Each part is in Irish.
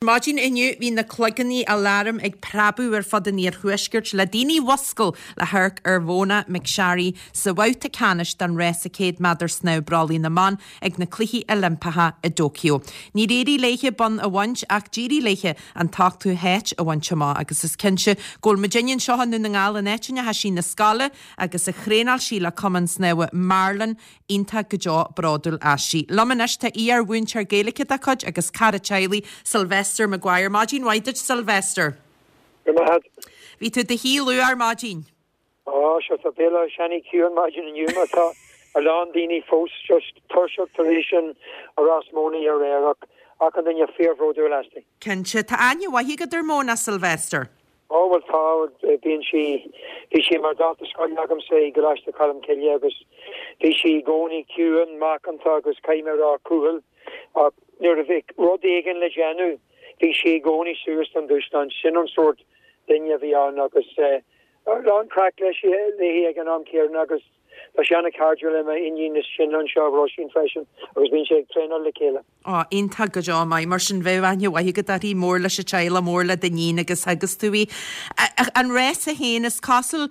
Maidin inniu bhí na cloigeannaí aláraim ag preabadh ar fud an iarthuaiscirt le daoine a mhuscail le hamharc ar Mhona McSharry sa bhabhta ceannais den rása 100 méadar snámh brollaigh na mban ag na Cluichí Oilimpeacha i dTóiceo. Níor éirigh léithe bonn a bhaint ach d'éirigh léithe an t-ochtú háit a bhaint amach agus is cinnte go bhfuil muidinne anseo i nDún na nGall, an áit a ndeachaigh sí 'na scoile agus a thraenáil sí le Cumann Snámha Marlin, Iontach go deo bródúil aisti. Liom anois tá iar-mhúinteoir Gaeilge dá cuid agus cara teaghlaigh, Sylvester Maguire. Maidin mhaith duit Sylvester. Go raibh maith agat. Bhí tú i do shuí luath ar maidin. Á, sure, tá Béal Átha Seanaidh ciúin maidin inniu mar tá a lán daoine fós just tuirseach tar éis an rás Mona aréir ach achan duine fíorbhródúil asti. Cinnte. Tá aithne mhaith agat ar Mona, Sylvester. Ó, bhuel tá, bíonn sí, bhí sí mar dalta scoile agamsa i gColáiste Cholm Cille agus bhí sí i gcónaí ciúin, macánta agus caithfidh mé a rá cúthail ach nuair a bhí rud éigin le déanamh bhí sí i gcónaí suas don dúshlán. Sin an sórt duine a bhí ann agus a lán craic leis, léi ag an am céanna agus Tá sí an-chairdiúil le m'iníon is sine anseo, Róisín, freisin agus bíonn siad ag traenáil le chéile. Á, iontach go deo maith. Mar sin, bheadh aithne mhaith agat uirthi, mór leis an teaghlach, mór le d'iníon agus theagasc tú í. An rása féin, is cosúil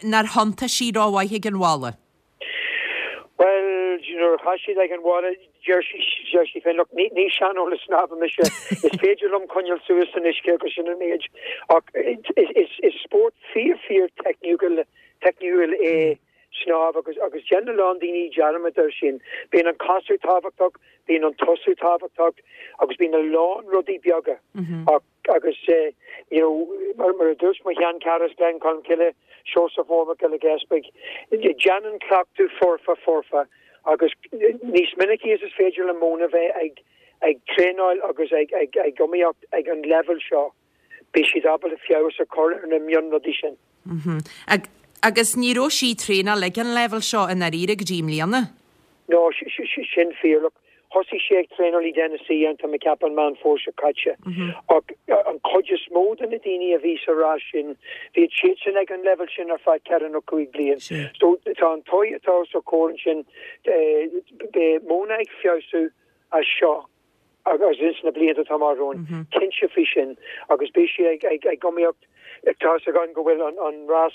nár thiontaigh sí rómhaith ag an bhalla. Bhuel, nuair a chaith siad ag an bhalla, deir sí, deir sí féin, look, ní, ní seaneolaí snámha mise, is féidir liom coinneáil suas san uisce agus sin an méid. Ach is, is, is spórt fíor, fíor teicniúil teicniúil é snámh agus agus déanann a lán daoine dearmad air sin. Bíonn an casadh tábhachtach, bíonn an tosú tábhachtach agus bíonn a lán rudaí beaga ach agus you know mar mar a dúirt mo sheanchara as Gleann Cholm Cille, Seosamh Mór Mac Giolla Easpaig, déanann cleachtadh foirfe foirfe agus níos minicí is is féidir le Mona bheith ag ag traenáil agus ag ag ag iomaíocht ag an leibhéal seo. beidh siad ábalta feabhas a chur ar na mionrudaí sin. Agus ní raibh sí ag traenáil ag an leibhéal seo i ndáiríre go dtí i mbliana? No, sin fíor. Look, thosaigh sí ag traenáil i dTennessee an tá mé ag ceapadh an Meán Fómhair seo caite. Ach an chuid is mó de na daoine a bhí sa rás sin, bhíod siadsan ag an leibhéal sin ar feadh ceithre nó cúig bliain. So tá an toigh atá os a comhair ansin, beidh Mona ag feabhsú as seo. agus ins na blianta atá amach romhainn, cinnte faoi sin, agus beidh sí ag iomaíocht, tá's againn go bhfuil an rás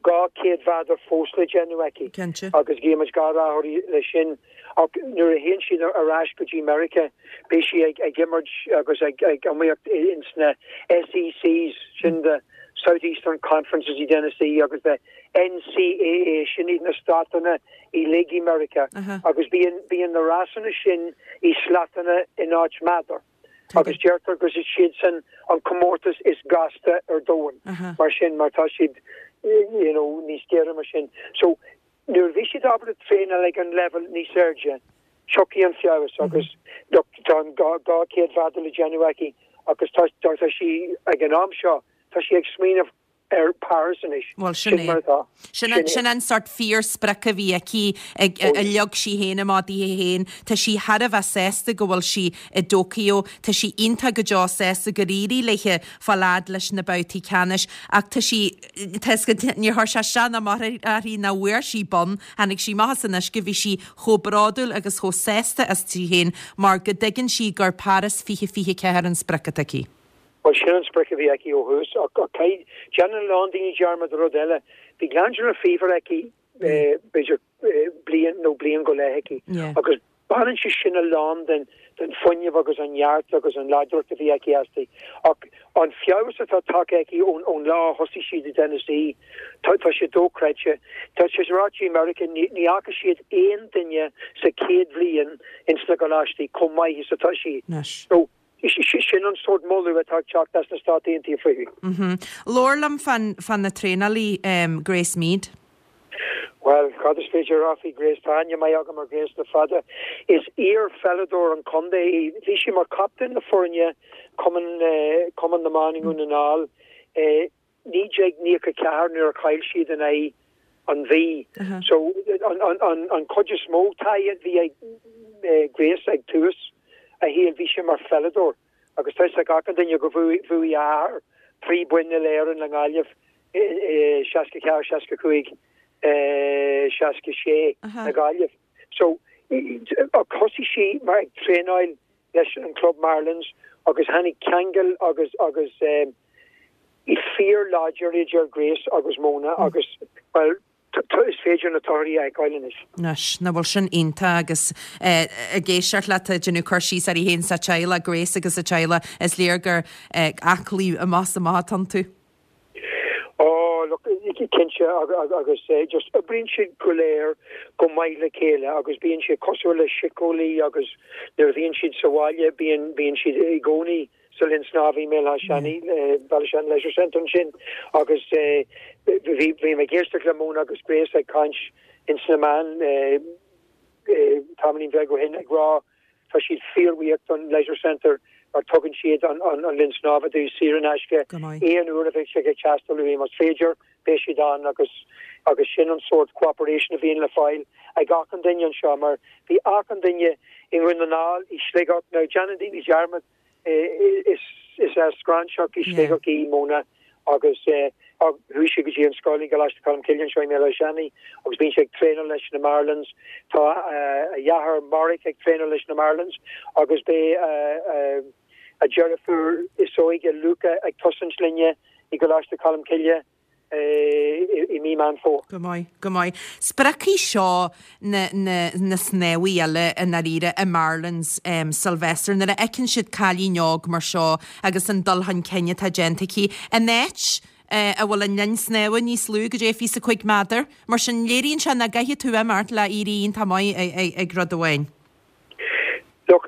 200 mheadar fós le déanamh aici, agus guímid gach rath uirthi leis sin, ach nuair a théann siad ar ais go dtí Meiriceá, beidh sí ag imirt agus ag iomaíocht ins na SECs, sin the South Eastern Conferences i dTennessee, agus the NCAA, sin iad na státanna uilig i Meiriceá agus bíonn bíonn na rásanna sin i slatanna in áit meadar agus deirtear go is siadsan an comórtas is gasta ar domhan mar sin mar tá siad you know níos géire mar sin. So nuair a bhí siad ábalta traenáil ag an leibhéal níos airde tiocfaidh an feabhas agus look tá an 200 mheadar le déanamh aici agus tá tá sí ag an am seo tá sí ag smaoineamh ar Paris anois. Bhuel, sin é. Sin mar atá. Sin é. Sin an sort fíor-sprioc a bhí aici, ag, a leag sí féin amach di féin. Tá sí thar a bheith sásta go bhfuil sí i dTóiceo. Tá sí iontach go deo sásta gur éirigh léithe fáil fhad leis na babhtaí ceannais. Ach tá sí, tá 'fhios agat, níor chuir sé isteach ná amach uirthi nach bhfuair sí bonn. Tháinig sí amach as an uisce, bhí sí chomh bródúil agus chomh sásta aisti féin mar go dtuigeann sí gur Paris 2024 an sprioc atá aici. Bhuel, sin an sprioc a bhí aici ó thús, ach caithfidh, déanann a lán daoine dearmad de rud eile, bhí glandular fever aici b'fhéidir bliain nó bliain go leith aici agus baineann sé sin a lán den den fuinneamh agus an neart agus an láidreacht a bhí aici aisti. Ach an feabhas atá tagtha aici ón ón lá a thosaigh siad i dTennessee, tá tá sé dochreidte. Tá sé ráite i Meiriceá, ní ní fhaca siad aon duine sa chéad bhliain ins na gcoláistí chomh maith is atá sí. So Sin an sórt moladh atá ag teacht as na Stáit Aontaithe fúithi. Labhair liom fá na traenálaí, Grace Meade. Bhuel, cad is féidir a rá faoi Grace? Tá aithne maith agam ar Grace le fada. Is iar-pheileadóir an chontae í. Bhí sí mar chaptaen na foirne Cumann Cumann na mBan i nDún na nGall. 1994 nuair a chaill siad in aghaidh an Mhí. So an chuid is mó taithí a bhí ag Grace ag tús a shaoil bhí sí mar pheileadóir agus tá 'fhios ag achan duine go bhuaigh a athair trí boinn uile-Éireann le Gaillimh i 64, 65, 66 le Gaillimh. So thosaigh sí mar ag traenáil. leis an club Marlins agus tháinig ceangal agus agus fíor láidir idir Grace agus Mona agus bhuel is féidir na torthaí a fheiceáil anois. Anois, nach bhfuil sin iontach agus ag éisteacht leat ag déanamh cur síos uirthi féin 's a teaghlach, Grace agus a teaghlach, is léir gur aclaí amach is amach atá iontu. Oh, look, cinnte agus just oibríonn siad go léir go maith le chéile agus bíonn siad cosúil le síceolaí agus nuair a bhíonn siad sa bhaile bíonn bíonn siad i gcónaí sa linn snámha i mBéal Átha Seanaidh, Ballyshannon Leisure Centre ansin agus bhí bhí mé ag éisteacht le Mona agus Grace ag caint ins na meáin tamaillín bheag ó shin ag rá Tá siad fíorbhuíoch don Leisure Centre mar tugann siad an linn snámha dóibh saor in aisce aon uair a bheidh sé ag teastáil uathu. Más féidir, beidh siad ann agus agus sin an sórt cooperation a bhíonn le fáil ag achan duine anseo mar bhí achan duine i nDún na nGall, i Sligeach, now déanann daoine dearmad Is as Gráinseach i Sligeach í Mona agus chuaigh sí go dtí an scoil i gColáiste Cholmcille anseo i mBéal Átha Seanaidh agus bíonn sí ag traenáil leis na Marlins. Tá a dheartháir Marek ag traenáil leis na Marlins agus beidh a deirfiúr is óige Luca ag tosaint linne i gColáiste Cholmcille. i mí Meán Fómhair. Go maith, go maith. Spreagfaidh seo na, na, na snámhaithe eile i ndáiríre i Marlins, Sylvester, nuair a fheiceann siad cailín óg mar seo agus an dul chun cinn atá déanta aici in áit a bhfuil an linn snámha níos lú, goidé 25 méadar. Mar sin, léiríonn sé nach gcaithfidh tú imeacht le éirí iontach maith ag rud amháin. Look,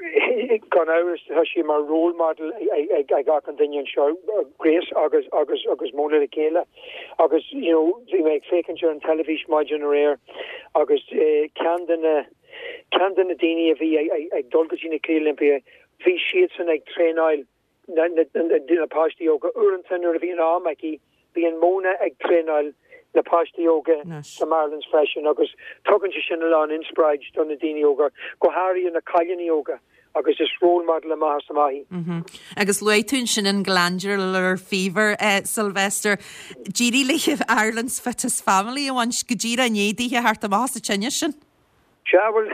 gan amhras, tá sí mar role model ag achan duine anseo, Grace agus agus agus Mona le chéile. Agus, you know, bhí mé ag féachaint ar an teilifís maidin aréir agus ceann de na ceann de na daoine a bhí ag dul go dtí na Cluichí Oilimpeacha, bhí siadsan ag traenáil na páistí óga. Uaireanta nuair a bhíonn am aici, bíonn Mona ag traenáil na páistí óga sa Marlins freisin agus tugann sé sin a lán inspioráid do na daoine óga, go háirithe na cailíní óga agus is role model amach is amach í. Agus luaigh tú ansin an glandular fever, Sylvester. D'éirigh léi Ireland's Fittest Family a bhaint go díreach i ndiaidh dithe theacht amach as an tine sin. Sea, bhuel,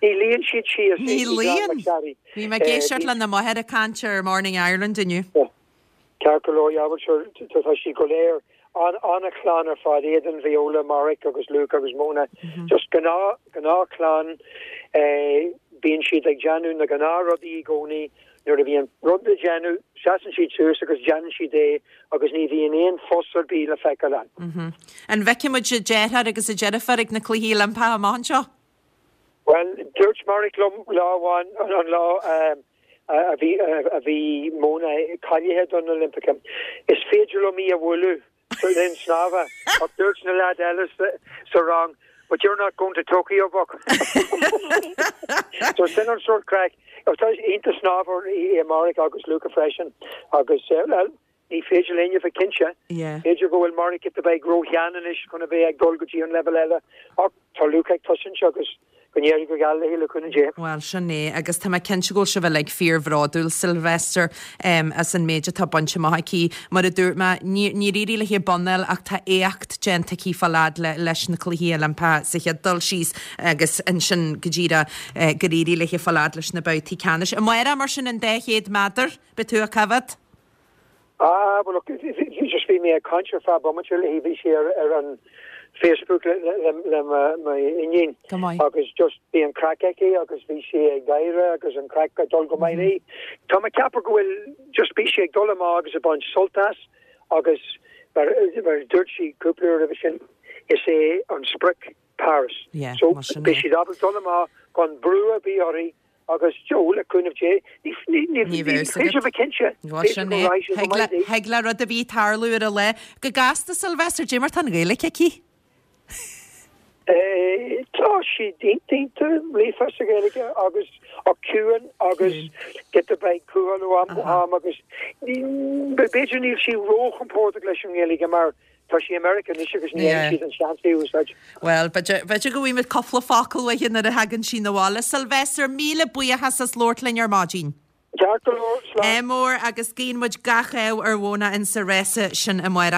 ní luíonn siad síos Ní i gClann luíonn! McSharry. Bhí mé ag éisteacht lena máthair ag caint ar Morning Ireland inniu. Ceart go leor, yeah, bhuel, sure, tá siad go léir an-chlann ar fad, Aidan, Viola, Marek agus Luke agus Mona. Just gnáth, gnáthchlann. Bíonn siad ag déanamh na gnáthrudaí i gcónaí. Nuair a bhíonn rud le déanamh, seasann siad suas agus déanann siad é agus ní bhíonn aon fuss ar bith le feiceáil ann. An bhfeicfidh muid a deartháir agus a deirfiúr ag na Cluichí Oilimpeacha amach anseo? Bhuel, dúirt Marek liom lá amháin, an lá a bhí a bhí Mona cáilithe don Oilimpeacha, is féidir liom í a bhualadh. sa linn snámha ach dúirt na leaids eile sa rang But you're not going to Tokyo, buck. So sin an sórt craic. Tá iontach snámhóir é Marek agus Luca freisin agus well ní féidir linn a bheith cinnte. B'fhéidir go bhfuil Marek giota beag róshean anois chun a bheith ag dul go dtí an leibhéal eile ach tá Luca ag tosaint agus Go n-éirí go geal léi le cúnamh Dé. Bhuel, sin é, agus tá mé cinnte go bhfuil sibh uilig fíorbhródúil, Sylvester, as an méid atá bainte amach aici. Mar a dúirt mé, níor éirigh léi bonn a fháil ach tá éacht déanta aici fáil fhad leis na Cluichí Oilimpeacha sa chéad dul síos agus ansin go díreach gur éirigh léi fáil fhad leis na babhtaí ceannais. Amárach, mar sin, an 200 méadar, beidh tú á coimhéad? Ah, bhuel, look, bhí just bhí mé ag caint ar feadh bomaite léi, bhí sí ar ar an Facebook le le le mo mo iníon Go maith. agus just bhí an craic aici agus bhí sí ag gáire agus an craic ag dul go maith léi. Tá mé ag ceapadh go bhfuil just bhí sí ag dul amach agus ag baint sult as agus mar mar a dúirt sí cúpla uair roimhe sin, is é an sprioc Paris. Yeah, So mar sin beidh é. siad ábalta dul amach gan brú ar bith uirthi Agus Joe, le cúnamh Dé, ní Ní bheadh féidir a bheith cinnte, Bhuel, b'fhéidir sin go é. raghadh sé go Thig maith le, léi. thig le rud ar bith tarlú ar an lá. Go gasta, Sylvester, dé mar tá an Ghaeilge aici? Tá sí iontach líofa sa Ghaeilge agus ach ciúin agus giota beag cúthail ó am go ham agus b'fhéidir níl sí róchompordach leis an nGaeilge mar Tá sí i Meiriceá anois agus ní fhaigheann siad an seans í a úsáid. Bhuel, b'fhéidir go bhfaighimid cúpla focal uaithi nuair a thagann sí 'na bhaile. Sylvester, míle buíochas as labhairt linn ar maidin. Ceart go leor, slán. Ádh mór agus guíonn muid gach ádh ar Mhona insa rása sin amárach.